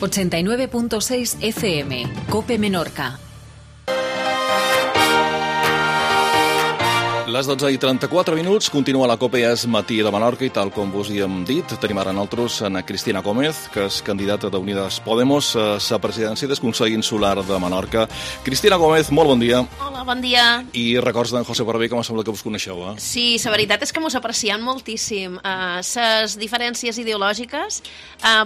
89.6 FM, COPE Menorca. Les 12:34, continua la COPE És Matí de Menorca i tal com vos hi hem dit, tenim ara nosaltres a Cristina Gómez, que és candidata d'Unides Podemos a la presidència del Consell Insular de Menorca. Cristina Gómez, molt bon dia. Hola, bon dia. I records d'en José Barbé, que em sembla que vos coneixeu, eh? Sí, la veritat és que mos apreciem moltíssim. Les diferències ideològiques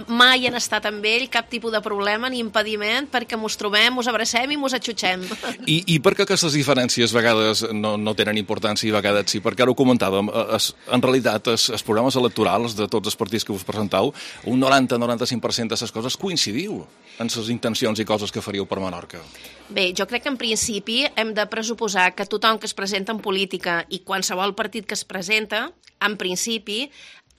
mai han estat amb ell cap tipus de problema ni impediment perquè mos trobem, mos abracem i mos atxutxem. I per què aquestes diferències a vegades no tenen importància i a vegades sí? Perquè ara ho comentàvem, en realitat els programes electorals de tots els partits que us presentau, un 90-95% de les coses coincidiu en les intencions i coses que faríeu per Menorca. Bé, jo crec que en principi hem de pressuposar que tothom que es presenta en política i qualsevol partit que es presenta, en principi,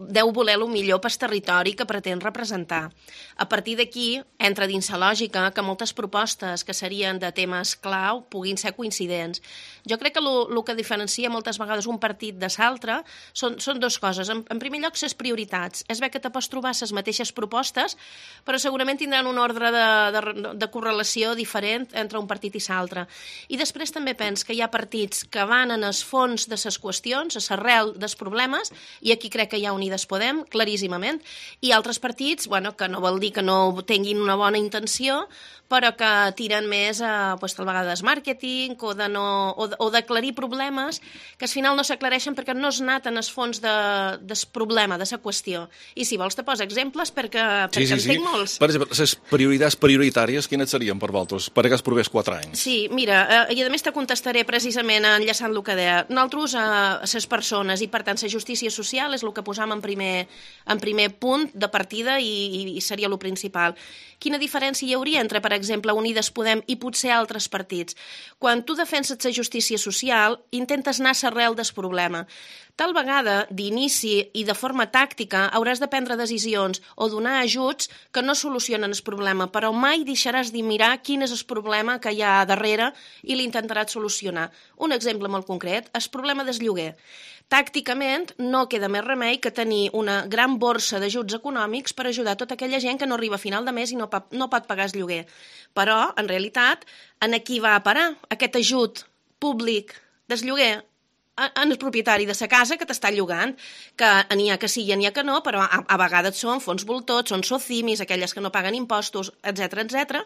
deu voler el millor pel territori que pretén representar. A partir d'aquí, entra dins la lògica que moltes propostes que serien de temes clau puguin ser coincidents. Jo crec que el que diferencia moltes vegades un partit de l'altre són dues coses. En primer lloc, les prioritats. És bé que te pots trobar les mateixes propostes, però segurament tindran un ordre de correlació diferent entre un partit i l'altre. I després també penso que hi ha partits que van en el fons de les qüestions, a l'arrel dels problemes, i aquí crec que hi ha Unides Podem, claríssimament, i altres partits, que no vol dir que no tinguin una bona intenció, però que tiren més tal vegada del màrqueting o d'aclarir problemes que al final no s'aclareixen perquè no és anat en el fons del problema, de la qüestió. I si vols te poso exemples perquè en tinc molts. Per exemple, les prioritats prioritàries, quines serien per vosaltres, per aquests propers 4 anys? Sí, mira, i a més te contestaré precisament enllaçant el que deia. Nosaltres, les persones, i per tant la justícia social és el que posam en primer punt de partida i seria el principal. Quina diferència hi hauria entre, per exemple, Unides Podem i potser altres partits? Quan tu defenses la justícia social, intentes anar a l'arrel del problema. Tal vegada, d'inici i de forma tàctica, hauràs de prendre decisions o donar ajuts que no solucionen el problema, però mai deixaràs de mirar quin és el problema que hi ha darrere i l'intentaràs solucionar. Un exemple molt concret, el problema del lloguer. Tàcticament, no queda més remei que tenir una gran borsa d'ajuts econòmics per ajudar tota aquella gent que no arriba a final de mes i no pot pagar el lloguer. Però, en realitat, en qui va a parar aquest ajut públic del lloguer? En el propietari de la casa que t'està llogant, que n'hi ha que sí i n'hi ha que no, però a vegades són fons voltors, són socimis, aquelles que no paguen impostos, etc.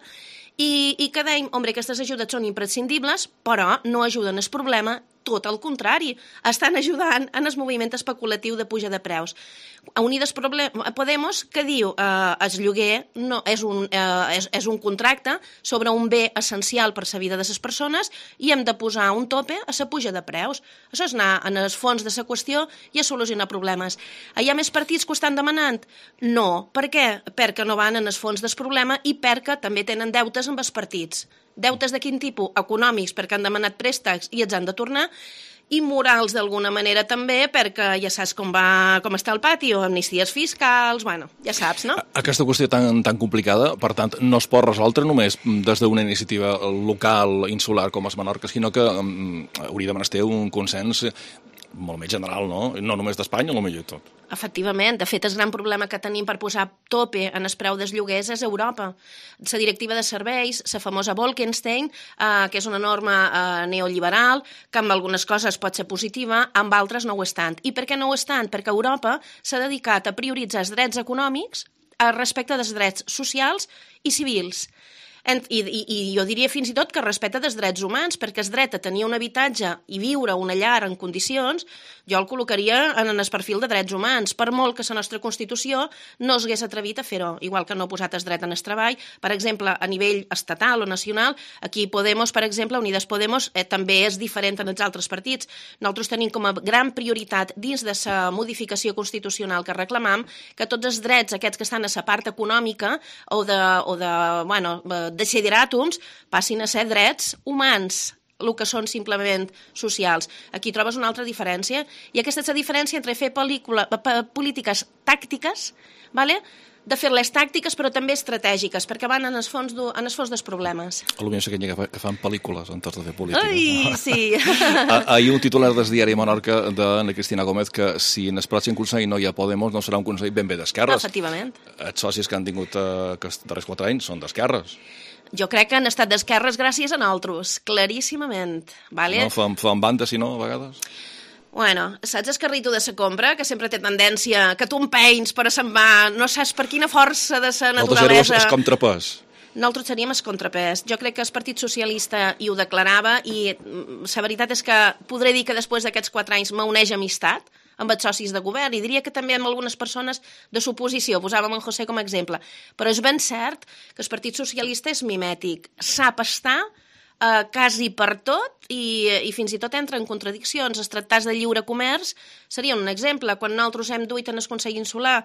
I que dèiem, aquestes ajudes són imprescindibles, però no ajuden al problema, tot el contrari, estan ajudant en el moviment especulatiu de puja de preus. A Unides Podemos, que diu el lloguer és un contracte sobre un bé essencial per la vida de les persones i hem de posar un tope a la puja de preus. Això és anar en el fons de la qüestió i a solucionar problemes. Hi ha més partits que ho estan demanant? No. Per què? Perquè no van en el fons del problema i perquè també tenen deutes amb els partits. Deutes de quin tipus? Econòmics, perquè han demanat préstecs i els han de tornar, i morals d'alguna manera també, perquè ja saps com està el patio, amnisties fiscals, ja saps, no? Aquesta qüestió tan complicada, per tant, no es pot resoldre només des d'una iniciativa local, insular com és Menorca, sinó que hauria de menester un consens molt més general, no? No només d'Espanya, o millor tot. Efectivament. De fet, el gran problema que tenim per posar tope en el preu dels lloguers és Europa. La directiva de serveis, la famosa Bolkestein, que és una norma neoliberal, que amb algunes coses pot ser positiva, amb altres no ho és tant. I per què no ho és tant? Perquè Europa s'ha dedicat a prioritzar els drets econòmics respecte dels drets socials i civils. I jo diria fins i tot que respecte dels drets humans, perquè el dret a tenir un habitatge i viure a una llar en condicions, jo el col·locaria en el perfil de drets humans, per molt que la nostra Constitució no s'hagués atrevit a fer-ho, igual que no ha posat el dret en el treball. Per exemple, a nivell estatal o nacional, aquí Podemos, per exemple, Unides Podemos, també és diferent en els altres partits. Nosaltres tenim com a gran prioritat dins de la modificació constitucional que reclamam que tots els drets aquests que estan a la part econòmica o de desideràtums passin a ser drets humans, el que són simplement socials. Aquí trobes una altra diferència, i aquesta és la diferència entre fer polítiques tàctiques, de fer-les tàctiques, però també estratègiques, perquè van en el fons dels problemes. Potser sé que fan pel·lícules en tot de fer política. Ai, sí. Ahir un titular del diari Menorca d'Anna Cristina Gómez que si en el pròxim Consell no hi ha Podemos no serà un Consell ben bé d'esquerres. Efectivament. Els socis que han tingut aquests darrers 4 anys són d'esquerres. Jo crec que han estat d'esquerres gràcies a nosaltres, claríssimament. Vale? No, fan banda, si no, a vegades? Bueno, saps el carrito de sa compra, que sempre té tendència, que tu empenyes però se'n va, no saps per quina força de sa naturalesa... És contrapès. Nosaltres seríem el contrapès. Jo crec que el Partit Socialista hi ho declarava i la veritat és que podré dir que després d'aquests 4 anys m'uneix amistat amb els socis de govern, i diria que també amb algunes persones de l'oposició, posàvem en José com a exemple. Però és ben cert que el Partit Socialista és mimètic, sap estar quasi per tot i fins i tot entra en contradiccions. Els tractats de lliure comerç serien un exemple. Quan nosaltres hem duit en el Consell Insular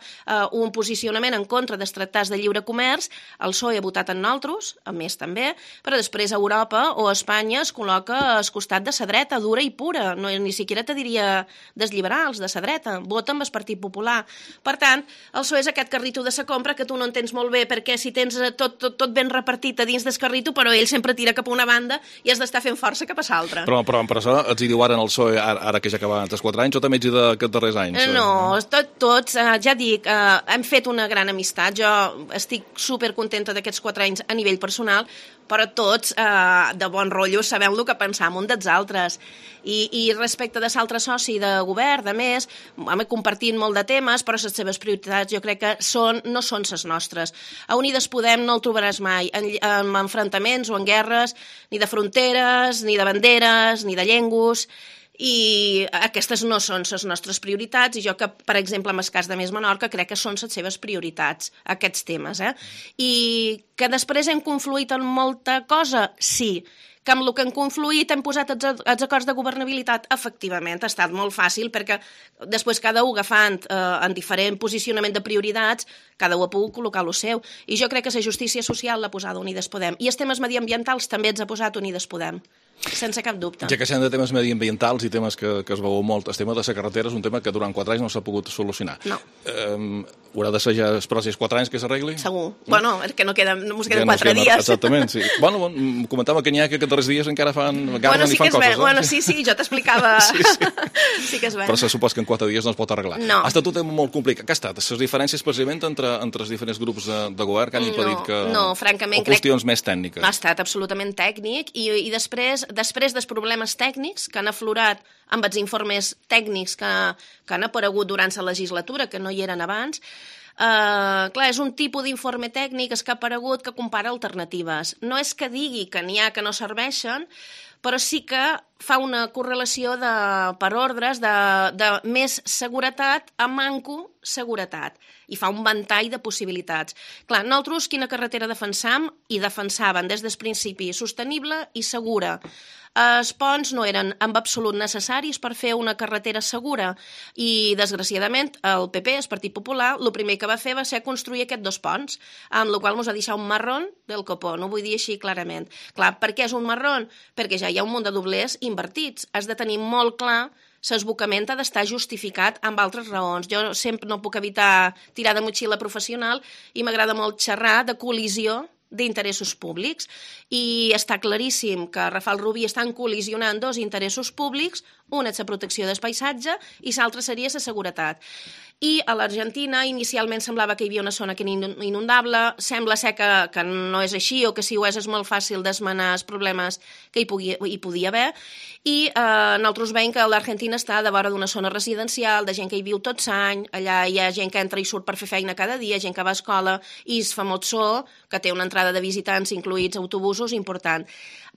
un posicionament en contra dels tractats de lliure comerç, el PSOE ha votat en nosaltres, a més també, però després Europa o Espanya es col·loca al costat de la dreta, dura i pura, no, ni siquiera te diria dels liberals, de la dreta, vota amb el Partit Popular. Per tant, el PSOE és aquest carrito de la compra que tu no entens molt bé perquè si tens tot ben repartit a dins del carrito, però ell sempre tira cap a una banda i has d'estar fent força cap a l'altra. Però per això ets hi diu ara en el PSOE, ara que ja acaben els 4 anys, o també ets hi d'aquests darrers anys? No, tots, ja dic, hem fet una gran amistat. Jo estic supercontenta d'aquests 4 anys a nivell personal, però tots, de bon rotllo, sabem el que pensam un dels altres. I respecte de l'altre soci de govern, de més, hem compartit molt de temes, però les seves prioritats jo crec que no són les nostres. A Unides Podem no el trobaràs mai en enfrontaments o en guerres, ni de fronteres, ni de banderes, ni de llengües, i aquestes no són les nostres prioritats, i jo que, per exemple, en el cas de Més Menorca, crec que són les seves prioritats, aquests temes. I que després hem confluït en molta cosa? Sí. Que amb el que hem confluït hem posat els acords de governabilitat? Efectivament, ha estat molt fàcil, perquè després cada un agafant en diferent posicionament de prioritats, cada un ha pogut col·locar el seu. I jo crec que la justícia social l'ha posada Unides Podem. I els temes mediambientals també els ha posat Unides Podem. Sense cap dubte. Ja que sent de temes mediambientals i temes que es veuen molt, el tema de la carretera és un tema que durant 4 anys no s'ha pogut solucionar. No. Haurà de ser ja els pròxims 4 anys que s'arregli? Segur. Bueno, és que no ens queden 4 dies. Exactament, sí. Bueno, comentava que n'hi ha que aquests darrers dies encara fan coses. Bueno, sí, jo t'explicava. Sí que és bé. Però se supos que en 4 dies no es pot arreglar. No. Ha estat un tema molt complicat. Què ha estat? Les diferències precisament entre els diferents grups de govern que han impedit que... No, francament, o qüestions més tècniques? Ha estat absolutament tècnic i després dels problemes tècnics que han aflorat amb els informes tècnics que han aparegut durant la legislatura, que no hi eren abans, clar, és un tipus d'informe tècnic que ha aparegut que compara alternatives. No és que digui que n'hi ha que no serveixen, però sí que fa una correlació per ordres de més seguretat a manco seguretat i fa un ventall de possibilitats. Clar, nosaltres quina carretera defensam? I defensaven des del principi sostenible i segura. Els ponts no eren en absolut necessaris per fer una carretera segura i, desgraciadament, el PP, el Partit Popular, el primer que va fer va ser construir aquests 2 ponts, amb la qual cosa ens ha deixat un marrón del copó, no ho vull dir així clarament. Clar, per què és un marrón? Perquè ja hi ha un munt de doblers invertits. Has de tenir molt clar l'esbocament ha d'estar justificat amb altres raons. Jo sempre no puc evitar tirar de motxilla professional i m'agrada molt xerrar de col·lisió d'interessos públics i està claríssim que Rafal Rubí estan col·lisionant 2 interessos públics, un és la protecció del paisatge i l'altre seria la seguretat. I a l'Argentina inicialment semblava que hi havia una zona que era inundable, sembla ser que no és així o que si ho és molt fàcil d'esmenar els problemes que hi podia haver i nosaltres veiem que l'Argentina està de vora d'una zona residencial, de gent que hi viu tot l'any, allà hi ha gent que entra i surt per fer feina cada dia, gent que va a escola i es famós zoo, que té una entrada de visitants incluïts autobusos important.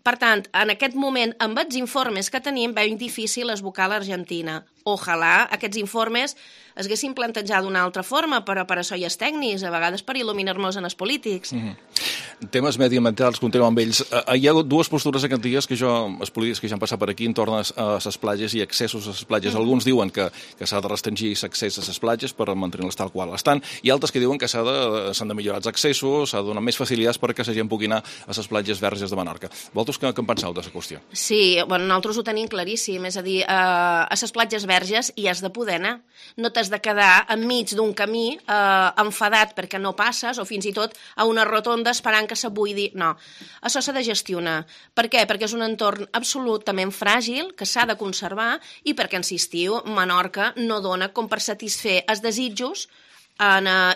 Per tant, en aquest moment, amb els informes que tenim, veiem difícil esbocar l'Argentina. Ojalà aquests informes es haguessin plantejat d'una altra forma, però per això hi ha tècnics, a vegades per il·luminar-nos en els polítics. temes mediambientals, continuem amb ells. Hi ha dues postures aquests dies els polítics que ja han passat per aquí en torn a les platges i accessos a les platges. Alguns diuen que s'ha de restringir l'accés a les platges per mantenir-les tal qual estan, i altres que diuen que s'han de millorar els accessos, s'ha de donar més facilitats perquè la gent pugui anar a les platges verges de Menorca. Vosaltres què en penseu de la qüestió? Sí, bueno, nosaltres ho tenim claríssim, és a dir, a les platges verges hi has de poder anar. No t'has de quedar enmig d'un camí enfadat perquè no passes, o fins i tot a una rotonda esperant que se buidi. No, això s'ha de gestionar. Per què? Perquè és un entorn absolutament fràgil, que s'ha de conservar, i perquè, insistiu, Menorca no dona com per satisfer els desitjos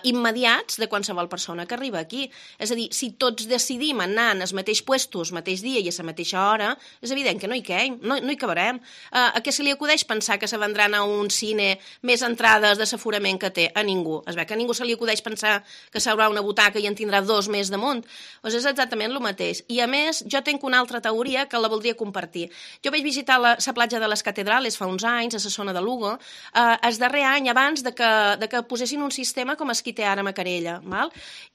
immediats de qualsevol persona que arriba aquí. És a dir, si tots decidim anar en els mateixos puestos, mateix dia i a la mateixa hora, és evident que no hi caiem, no hi acabarem. A què se li acudeix pensar que se vendran a un cine més entrades de l'aforament que té? A ningú. Es veu que a ningú se li acudeix pensar que s'haurà una butaca i en tindrà 2 més damunt. Doncs és exactament el mateix. I a més, jo tinc una altra teoria que la voldria compartir. Jo vaig visitar la platja de les Catedrales fa uns anys, a la zona de Lugo, el darrer any abans de que posessin un sistema com es qui té ara a Macarella, val?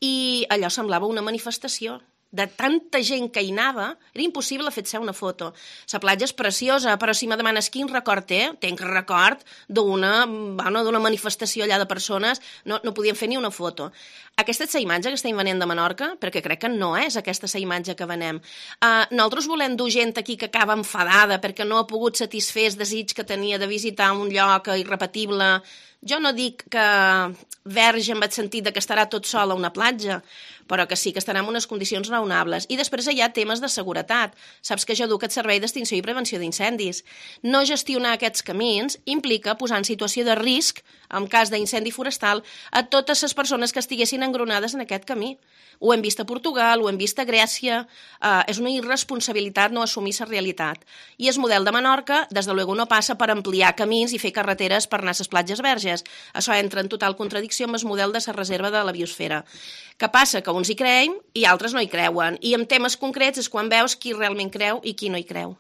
I allò semblava una manifestació. De tanta gent que hi anava, era impossible fer-se una foto. La platja és preciosa, però si me demanes quin record té, tenc record d'una manifestació allà de persones, no podien fer ni una foto. Aquesta és la imatge que estem venent de Menorca, perquè crec que no és aquesta la imatge que venem. Nosaltres volem dur gent aquí que acaba enfadada perquè no ha pogut satisfer el desig que tenia de visitar un lloc irrepetible. Jo no dic que verge en el sentit que estarà tot sol a una platja, però que sí que estarà en unes condicions raonables. I després hi ha temes de seguretat. Saps que jo duc el servei d'extinció i prevenció d'incendis. No gestionar aquests camins implica posar en situació de risc, en cas d'incendi forestal, a totes les persones que estiguessin engronades en aquest camí. Ho hem vist a Portugal, ho hem vist a Grècia. És una irresponsabilitat no assumir la realitat. I el model de Menorca, des de luego, no passa per ampliar camins i fer carreteres per anar a les platges verges. Això entra en total contradicció amb el model de la reserva de la biosfera. Què passa? Que uns hi creiem i altres no hi creuen. I en temes concrets és quan veus qui realment creu i qui no hi creu.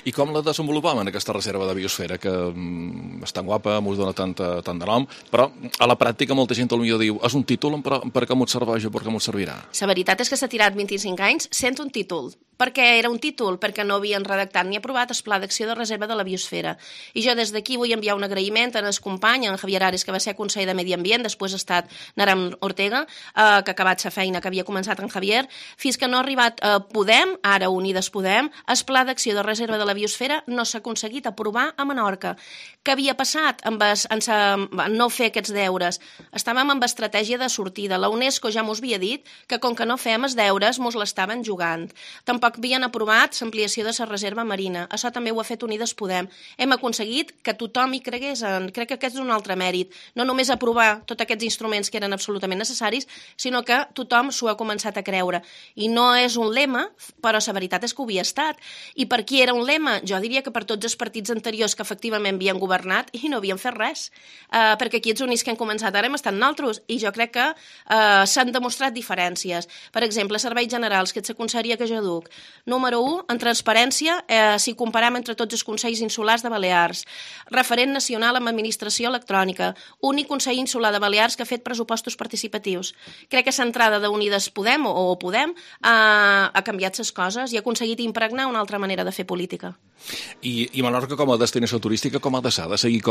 I com la desenvolupam en aquesta reserva de biosfera, que és tan guapa, m'ho dona tant de nom, però a la pràctica molta gent potser diu és un títol, per què m'ho serveix o per què m'ho servirà? La veritat és que s'ha tirat 25 anys sense un títol. Per què era un títol? Perquè no havien redactat ni aprovat el Pla d'Acció de Reserva de la Biosfera. I jo des d'aquí vull enviar un agraïment a el company, en Javier Ares, que va ser conseller de Medi Ambient, després ha estat Naram Ortega, que ha acabat la feina que havia començat en Javier, fins que no ha arribat Podem, ara Unides Podem, el Pla d'Acció de Reserva de la Biosfera no s'ha aconseguit aprovar a Menorca. Què havia passat en no fer aquests deures? Estàvem amb estratègia de sortida. La UNESCO ja mos havia dit que com que no fem els deures mos l'estaven jugant. Tampoc havien aprovat l'ampliació de la reserva marina. Això també ho ha fet Unides Podem. Hem aconseguit que tothom hi cregués. Crec que aquest és un altre mèrit. No només aprovar tots aquests instruments que eren absolutament necessaris, sinó que tothom s'ho ha començat a creure. I no és un lema, però la veritat és que ho havia estat. I per qui era un lema? Jo diria que per tots els partits anteriors que efectivament havien governat i no havien fet res. Perquè aquí els únics que han començat ara hem estat nosaltres. I jo crec que s'han demostrat diferències. Per exemple, serveis generals, que és la conselleria que jo duc. Número 1, en transparència, si comparem entre tots els consells insulars de Balears. Referent nacional en administració electrònica. Únic consell insular de Balears que ha fet pressupostos participatius. Crec que l'entrada d'Unides Podem, o Podem, ha canviat les coses i ha aconseguit impregnar una altra manera de fer política. I Menorca com a destinació turística com ha de ser? Ha de seguir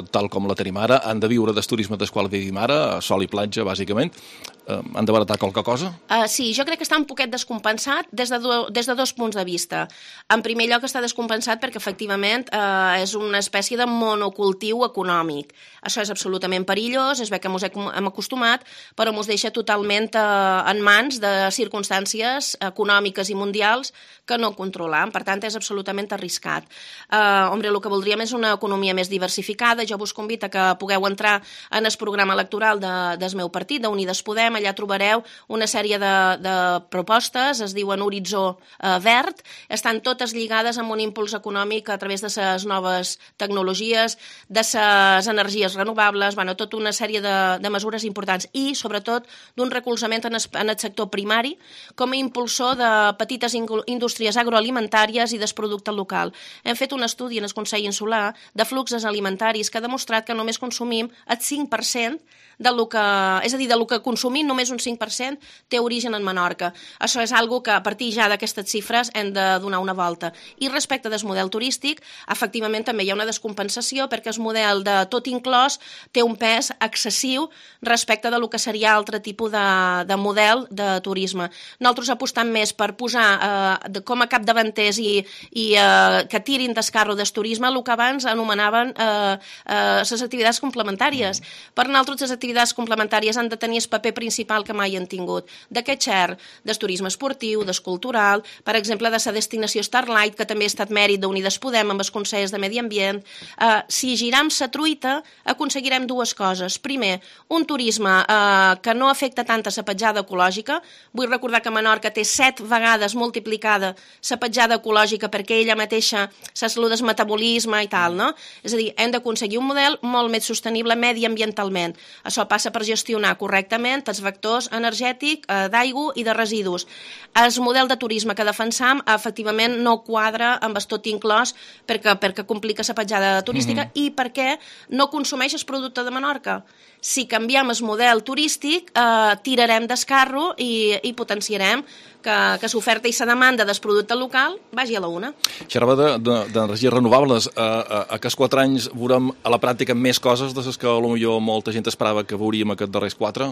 tal com la tenim ara? Han de viure del turisme del qual vivim ara, sol i platja, bàsicament? Han de baratar qualque cosa? Sí, jo crec que està un poquet descompensat des de 2 punts de vista. En primer lloc està descompensat perquè efectivament és una espècie de monocultiu econòmic. Això és absolutament perillós, és bé que ens hem acostumat, però ens deixa totalment en mans de circumstàncies econòmiques i mundials que no controlam. Per tant, és absolutament arriscat. El que voldríem és una economia més diversificada. Jo vos convido que pugueu entrar en el programa electoral del meu partit, d'Unides Podem. Allà trobareu una sèrie de propostes, es diuen Horitzó Verd, estan totes lligades amb un impuls econòmic a través de les noves tecnologies, de les energies renovables, tota una sèrie de mesures importants i, sobretot, d'un recolzament en el sector primari com a impulsor de petites indústries agroalimentàries i del producte local. Hem fet un estudi en el Consell Insular de fluxos alimentaris que ha demostrat que només consumim el 5% del que consumim i només un 5% té origen en Menorca. Això és algo que a partir ja d'aquestes xifres hem de donar una volta. I respecte del model turístic, efectivament també hi ha una descompensació perquè el model de tot inclòs té un pes excessiu respecte de lo que seria altre tipus de model de turisme. Nosaltres apostam més per posar com a capdavanters i que tirin d'escarro del turisme el que abans anomenaven les activitats complementàries. Per nosaltres les activitats complementàries han de tenir el paper principal que mai han tingut. D'aquest xer, del turisme esportiu, del cultural, per exemple, de la destinació Starlight, que també ha estat mèrit d'Unides Podem amb els Consells de Medi Ambient. Si giram la truita, aconseguirem dues coses. Primer, un turisme que no afecta tant a la petjada ecològica. Vull recordar que Menorca té 7 vegades multiplicada la petjada ecològica perquè ella mateixa se saluda el metabolisme i tal, no? És a dir, hem d'aconseguir un model molt més sostenible mediambientalment. Això passa per gestionar correctament els vectors energètics, d'aigua i de residus. El model de turisme que defensam efectivament no quadra amb el tot inclòs perquè complica la petjada turística i perquè no consumeix el producte de Menorca. Si canviem el model turístic, tirarem d'escarro i potenciarem que l'oferta i la demanda del producte local vagi a la una. Xerrava d'energies renovables. Aquests 4 anys veurem a la pràctica més coses de les que potser molta gent esperava que veuríem aquests darrers 4?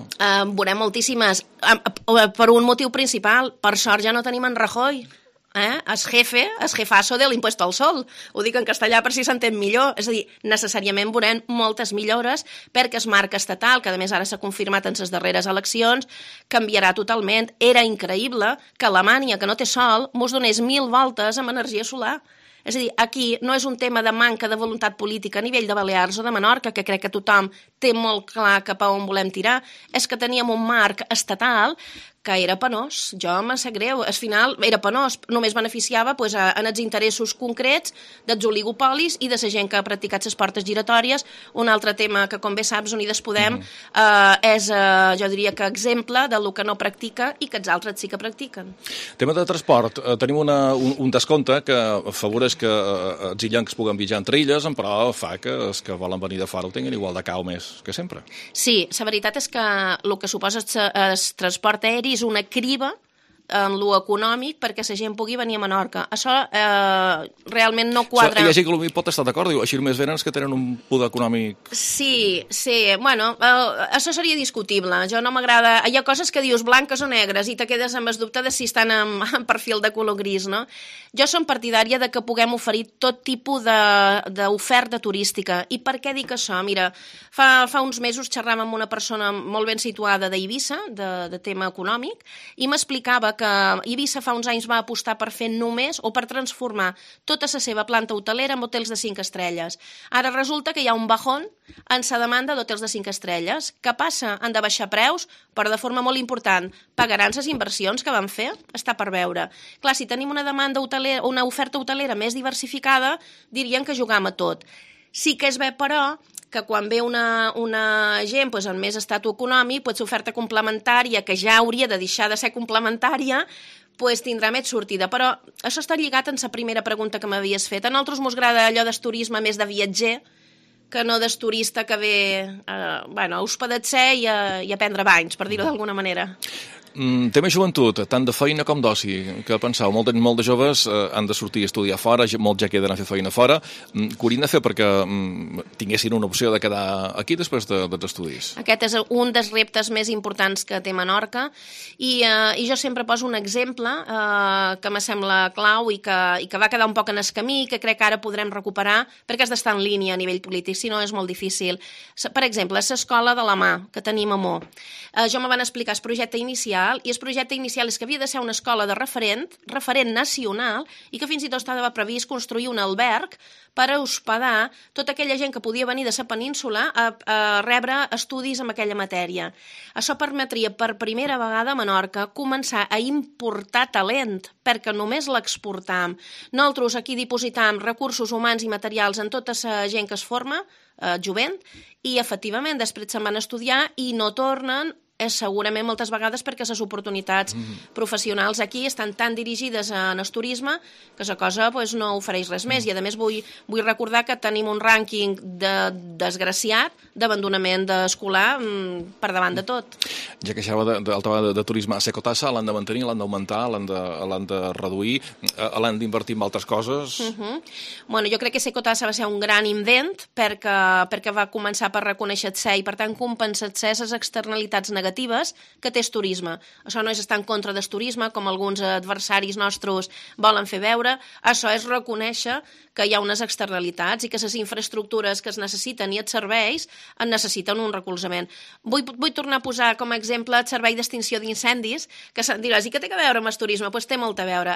Veurem moltíssimes. Per un motiu principal. Per sort ja no tenim en Rajoy. El jefazo de l'impuesto al sol. Ho dic en castellà per si s'entén millor. És a dir, necessàriament veurem moltes millores perquè el marc estatal, que a més ara s'ha confirmat en les darreres eleccions, canviarà totalment. Era increïble que Alemanya, que no té sol, mos donés 1000 voltes amb energia solar. És a dir, aquí no és un tema de manca de voluntat política a nivell de Balears o de Menorca, que crec que tothom té molt clar cap a on volem tirar, és que teníem un marc estatal que era penós. Jo me sap greu. Al final era penós. Només beneficiava en els interessos concrets dels oligopolis i de la gent que ha practicat les portes giratòries. Un altre tema que, com bé saps, Unides Podem és, jo diria que exemple del que no practica i que els altres sí que practiquen. Tema de transport. Tenim un descompte que afavoreix que els illencs puguen viatjar entre illes, però fa que els que volen venir de fora ho tinguin igual de cau més que sempre. Sí, la veritat és que el que suposa el transport aeri és una criba en lo econòmic perquè la gent pugui venir a Menorca. Això realment no quadra. Hi ha gent que pot estar d'acord, diu, així només venen els que tenen un poder econòmic. Sí, bueno, això seria discutible. Jo no m'agrada. Hi ha coses que dius blanques o negres i te quedes amb el dubte de si estan en perfil de color gris, no? Jo som partidària de que puguem oferir tot tipus d'oferta turística. I per què dic això? Mira, fa uns mesos xerràvem amb una persona molt ben situada d'Eivissa, de tema econòmic, i m'explicava que Eivissa fa uns anys va apostar per fer només o per transformar tota la seva planta hotelera en hotels de 5 estrelles. Ara resulta que hi ha un bajón en la demanda d'hotels de 5 estrelles. Què passa? Han de baixar preus, però de forma molt important. Pagaran les inversions que van fer? Està per veure. Clar, si tenim una demanda hotelera, una oferta hotelera més diversificada, dirien que jugam a tot. Sí que és bé, però, que quan ve una gent amb més estatus econòmic, l'oferta complementària, que ja hauria de deixar de ser complementària, tindrà més sortida. Però això està lligat en la primera pregunta que m'havies fet. A nosaltres mos agrada allò del turisme més de viatger, que no del turista que ve a hospedar-se i a prendre banys, per dir-ho d'alguna manera. Tema joventut, tant de feina com d'oci. Què penseu? Molt de joves han de sortir a estudiar fora, molts ja queden a fer feina fora. Què haurien de fer perquè tinguessin una opció de quedar aquí després dels estudis? Aquest és un dels reptes més importants que té Menorca i jo sempre poso un exemple que me sembla clau i que va quedar un poc en el camí, que crec que ara podrem recuperar perquè has d'estar en línia a nivell polític, si no és molt difícil. Per exemple, l'escola de la mà que tenim a Mo. Jo me van explicar el projecte inicial i el projecte inicial és que havia de ser una escola de referent nacional i que fins i tot estava previst construir un alberg per a hospedar tota aquella gent que podia venir de la península a rebre estudis en aquella matèria. Això permetria per primera vegada a Menorca començar a importar talent, perquè només l'exportam. Nosaltres aquí dipositam recursos humans i materials en tota la gent que es forma, jovent, i efectivament després se'n van estudiar i no tornen és segurament moltes vegades perquè les oportunitats professionals aquí estan tan dirigides en el turisme que la cosa no ofereix res més. I a més vull recordar que tenim un rànquing desgraciat d'abandonament escolar per davant de tot. Ja que això de turisme, a Secotassa l'han de mantenir, l'han d'augmentar, l'han de reduir, l'han d'invertir en altres coses? Bueno, jo crec que Secotassa va ser un gran invent perquè va començar per reconèixer-se i per tant compensar-se les externalitats negatives que té el turisme. Això no és estar en contra del turisme, com alguns adversaris nostres volen fer veure, això és reconèixer que hi ha unes externalitats i que les infraestructures que es necessiten i els serveis en necessiten un recolzament. Vull tornar a posar com a exemple el servei d'extinció d'incendis, que se'n diràs, i què té a veure amb el turisme? Doncs té molt a veure.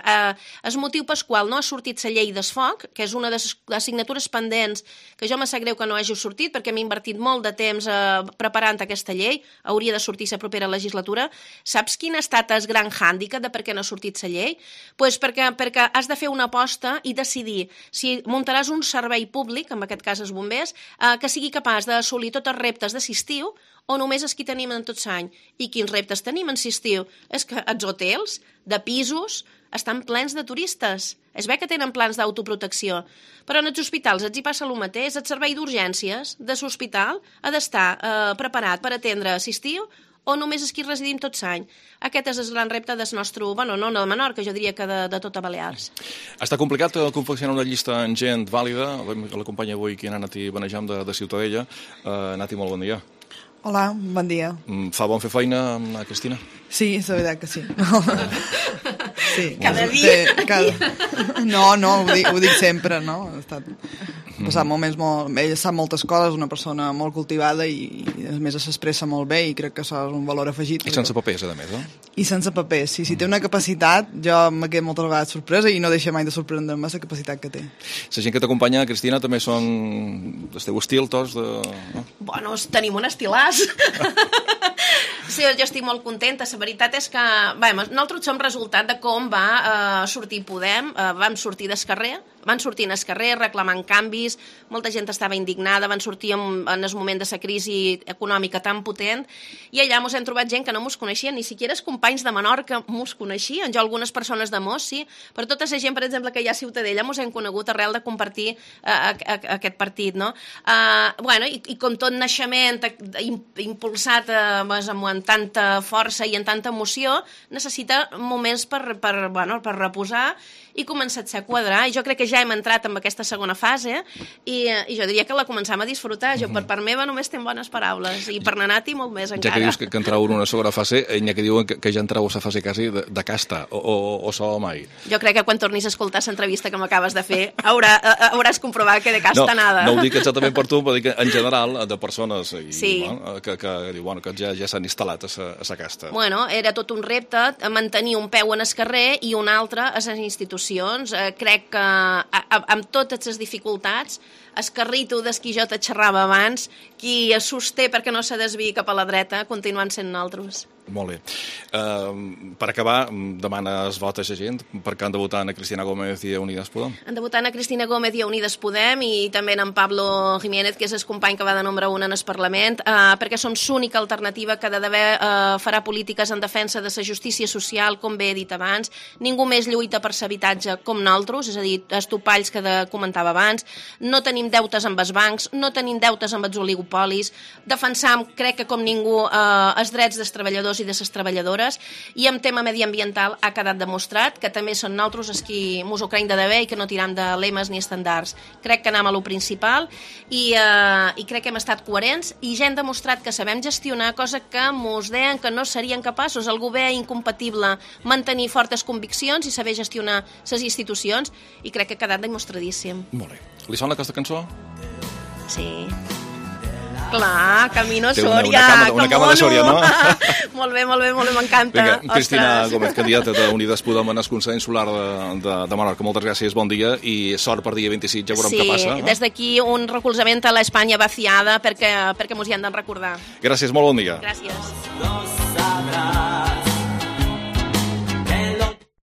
El motiu pel qual no ha sortit la llei del foc, que és una de les assignatures pendents, que jo me sap greu que no hagi sortit, perquè m'he invertit molt de temps preparant aquesta llei, hauria de sortir la propera legislatura. Saps quin ha estat el gran hàndicap de per què no ha sortit la llei? Doncs perquè has de fer una aposta i decidir si muntaràs un servei públic, en aquest cas els bombers, que sigui capaç d'assolir tots els reptes de l'estiu o només els que tenim en tot l'any. I quins reptes tenim en l'estiu? És que els hotels de pisos estan plens de turistes. Es ve que tenen plans d'autoprotecció. Però en els hospitals els hi passa el mateix. El servei d'urgències de l'hospital ha d'estar preparat per atendre l'estiu o només és qui residim tot l'any. Aquest és el gran repte del nostre, no de Menorca, jo diria que de tota Balears. Està complicat confeccionar una llista amb gent vàlida. L'acompanya avui aquí en Nati Benejam de Ciutadella. Nati, molt bon dia. Hola, bon dia. Fa bon fer feina amb la Cristina? Sí, és la veritat que sí. Sí. Cada dia? No, ho dic sempre, no? Ha estat passat moments molt... Ella sap moltes coses, una persona molt cultivada i a més s'expressa molt bé i crec que això és un valor afegit. I sense papers, a més, no? I sense papers, sí. Si té una capacitat, jo m'he quedat moltes vegades sorpresa i no deixa mai de sorprendre-me la capacitat que té. La gent que t'acompanya, Cristina, també són del teu estil, tots? Bueno, tenim un estilàs. Sí, jo estic molt contenta. La veritat és que nosaltres som resultat de com va sortir Podem. Vam sortir del carrer, van sortir al carrer reclamant canvis, molta gent estava indignada, van sortir en el moment de la crisi econòmica tan potent, i allà ens hem trobat gent que no mos coneixien, ni siquiera els companys de Menorca mos coneixien, jo algunes persones de Mos, sí, però tota la gent, per exemple, que hi ha a Ciutadella mos hem conegut arrel de compartir aquest partit, no? I com tot naixement impulsat amb tanta força i amb tanta emoció, necessita moments per reposar i començar a quadrar, i jo crec que ja hem entrat en aquesta segona fase i jo diria que la començam a disfrutar. Jo per part meva només tenc bones paraules i per Nati molt més encara. Ja que dius que entreu en una segona fase, n'hi ha que diuen que ja entreu a la fase quasi de casta, o so mai. Jo crec que quan tornis a escoltar l'entrevista que m'acabes de fer hauràs comprovat que de casta nada. No ho dic exactament per tu, però dic en general de persones que ja s'han instal·lat a la casta. Bueno, era tot un repte mantenir un peu en el carrer i un altre a les institucions. Crec que amb totes les dificultats, el carrito del qui jo te xerrava abans, qui es sosté perquè no se desviï cap a la dreta, continuen sent nosaltres. Molt bé. Per acabar, demana els vots a la gent perquè han de votar a Cristina Gómez i a Unides Podem. Han de votar a Cristina Gómez i a Unides Podem i també en Pablo Jiménez, que és el company que va de número 1 en el Parlament, perquè som l'única alternativa que farà polítiques en defensa de la justícia social, com bé he dit abans. Ningú més lluita per l'habitatge com nosaltres, és a dir, els topalls que comentava abans. No tenim deutes amb els bancs, no tenim deutes amb els oligopolis. Defensam, crec que com ningú, els drets dels treballadors i de les treballadores, i en tema mediambiental ha quedat demostrat que també són nosaltres els qui mos ho creiem de debé i que no tiram de lemes ni estandards. Crec que anem a lo principal i crec que hem estat coherents i ja hem demostrat que sabem gestionar, cosa que mos deien que no serien capaços. Algú ve incompatible mantenir fortes conviccions i saber gestionar les institucions, i crec que ha quedat demostradíssim. Molt bé. Li sona aquesta cançó? Sí. Clar, Camino Sòria. Una cama de Sòria, no? Molt bé, m'encanta. Vinga, Cristina Gómez, candidata d'Unides Podem en el Consell Insular de Menorca. Moltes gràcies, bon dia i sort per dia 26, ja veurem què passa. Sí, des d'aquí un recolzament a l'Espanya vaciada perquè mos hi han de recordar. Gràcies, molt bon dia. Gràcies.